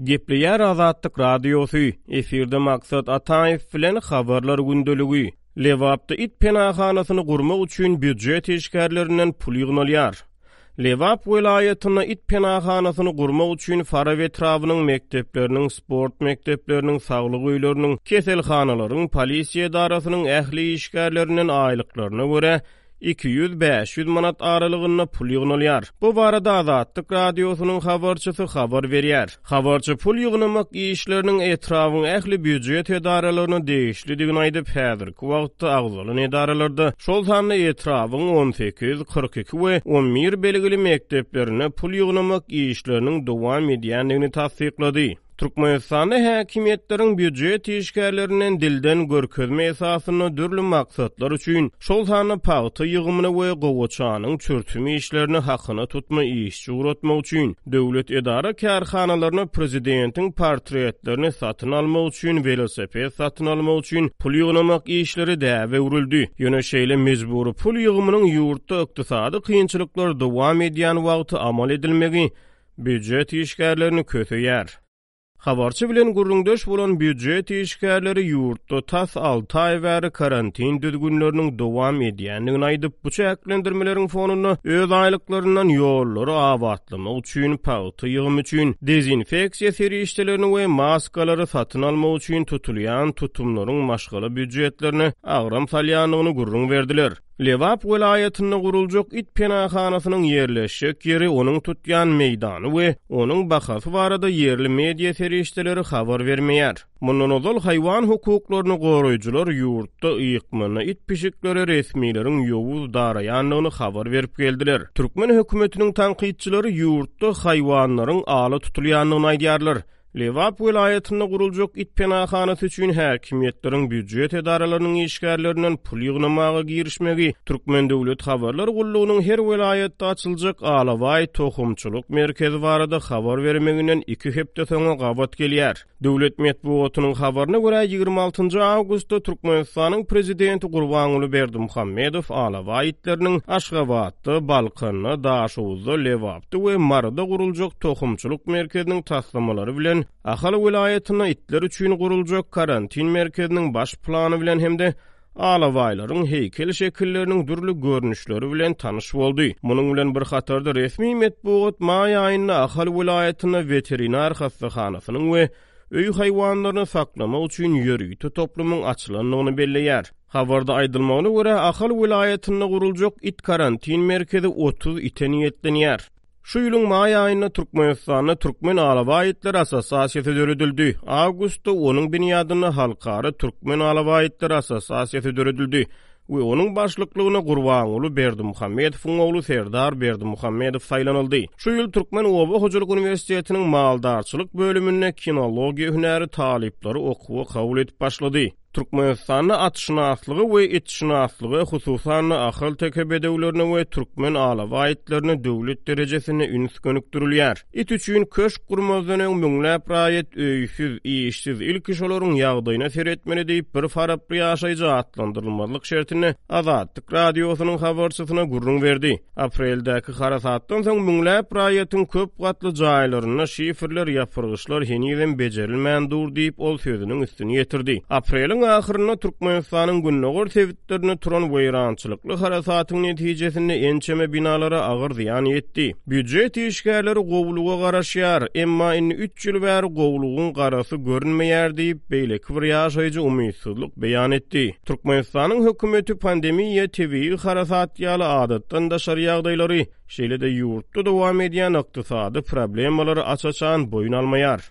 Gepleýär Azatlyk Radiosy, efirde Maksat Ataýew bilen Habarlar gündeligi. Lebapda it penahanasyny gurmak üçin býujet işgärlerinden pul ýygnalýar. Lebap welaýatynda it penahanasyny gurmak üçin Farap etrabynyň mekdepleriniň, sport mekdepleriniň, saglyk öýleriniň, keselhanalaryň, polisiýa edarasynyň ähli işgärlerinden aýlyklaryna görä 200, 500 manat aralygynda pul ýygnalýar. Bu barada Azatlyk Radiosynyň habarçysy habar berýär. Habarçy pul ýygnamak işleriniň etrabyň ähli býujet edaralaryna degişlidigini aýdyp, häzirki wagtda agzalan edaralarda, şol sanda etrabyň 18, 42 we 11 belgili mekdeplerinde pul ýygnamak işleriniň dowam edýändigini tassyklady. Türkmenistanda häkimiýetleriň býujet işgärlerinden dilden görkezme esasynda dürli maksatlar üçin, şol sanda pagta ýygymyna we gowaçanyň çürtüm işlerine hakyna tutma işçi ugratmak üçin, döwlet edara-kärhanalaryna prezidentiň portretlerini satyn almak üçin, welosiped satyn almak üçin pul ýygnamak işleri däbe öwrüldi. Ýöne şeýle mejbury pul ýygymynyň ýurtda ykdysady kynçylyklar dowam edýän wagty amal edilmegi býujet işgärlerini köseýär. Habarçy bilen gürrüňdeş bolan býujet işgärleri ýurtda tas alty aý bäri karantin düzgünleriniň dowam edýändigini aýdyp, bu çäklendirmeleriň fonunda öz aýlyklaryndan ýollary abatlamak üçin, pagta ýygymy üçin, dezinfeksiýa serişdelerini we maskalary satyn almak üçin tutulýan tutumlaryň maşgala býujetlerine agram salýandygyny gürrüň berdiler. Lebap welaýatynda guruljak it penahanasynyň ýerleşjek ýeri, onuň tutýan meýdany we onuň bahasy barada ýerli media serişdeleri habar bermeýär. Mundan ozal haýwan hukuklaryny goraýjylar ýurtda ykmanda it-pişiklere resmileriň ýowuz daraýandygyny habar berip geldiler. Türkmen hökümetiniň tankytçylary ýurtda haýwanlaryň ala tutulýandygyny aýdýarlar. Lebap welaýatynda guruljak it penahanasy üçin häkimiýetleriň býujet edaralarynyň işgärlerinden pul ýygnamaga girişmegi Türkmen döwlet habarlar gullugynyň her welaýatda açyljak alabaý tohumçylyk merkezi barada habar bermeginden iki hepde soňa gabat gelýär. Döwlet metbugatynyň habaryna görä, 26 awgustda Türkmenistanyň prezidenti Gurbanguly Berdimuhamedow alabaý itleriniň Aşgabatda, Balkanda, Daşoguzda, Lebapda we Maryda guruljak tohumçylyk merkeziniň taslamalary bilen Ahal welaýatynda itler üçin guruljak karantin merkeziniň baş plany bilen hem-de alabaýlaryň heýkel şekilleriniň dürli görnüşleri bilen tanyş boldy. Munuň bilen bir hatarda resmi metbugat maý aýynda Ahal welaýatynda weterinar hassahanasynyň we öý haýwanlaryny saklamak üçin ýörite toplumyň açylandygyny belleýär. Habarda aýdylmagyna görä, Ahal welaýatynda guruljak it karantin merkezi 30 ite niýetlenýär. Şu ýylyň maý aýynda Türkmenistanda Türkmen alabaý itleri assosiasiýasy döredildi. Awgustda onuň binýadynda Halkara Türkmen alabaý itleri assosiasiýasy döredildi we onuň başlyklygyna Gurbanguly Berdimuhamedowyň ogly Serdar Berdimuhamedow saýlanyldy. Şu ýyl Türkmen oba hojalyk uniwersitetiniň maldarçylyk bölüminde kinologiýa hünäri talyplary okuwa kabul edip başlady. Türkmenistanda atşynaslyga we itşynaslyga, hususan-da, ahalteke bedewlerine we türkmen alabaý itlerine döwlet derejesinde üns gönükdirilýär. It üçin köşk gurmazdan öň müňläp raýat öýsüz, işsiz, ilki şolaryň ýagdaýyna seretmeli diýip, bir faraply ýaşaýjy atlandyrylmazlyk şertinde Azatlyk Radiosynyň habarçysyna gürrüň berdi. Apreldäki harasatdan soň müňläp raýatyň köp gatly jaýlarynda şiferler, ýapyrgyçlar henizem bejerilmän dur diýip, ol sözüniň üstüni ýetirdi. Apreliň ahyrynda Türkmenistanyň gündogar sebitlerinde turan weýrançylykly harasatyň netijesinde ençeme binalara agyr zyýan ýetdi. Býujet işgärleri gowulyga garaşýar, emma indi üç ýyl bäri gowulygyň garasy görünmeýär diýip, beýleki bir ýaşaýjy umytsyzlyk beýan etdi. Türkmenistanyň hökümeti pandemiýa, tebigy harasat ýaly adatdan daşary ýagdaýlary, şeýle-de ýurtda dowam edýän ykdysady problemalary aç-açan boýun almaýar.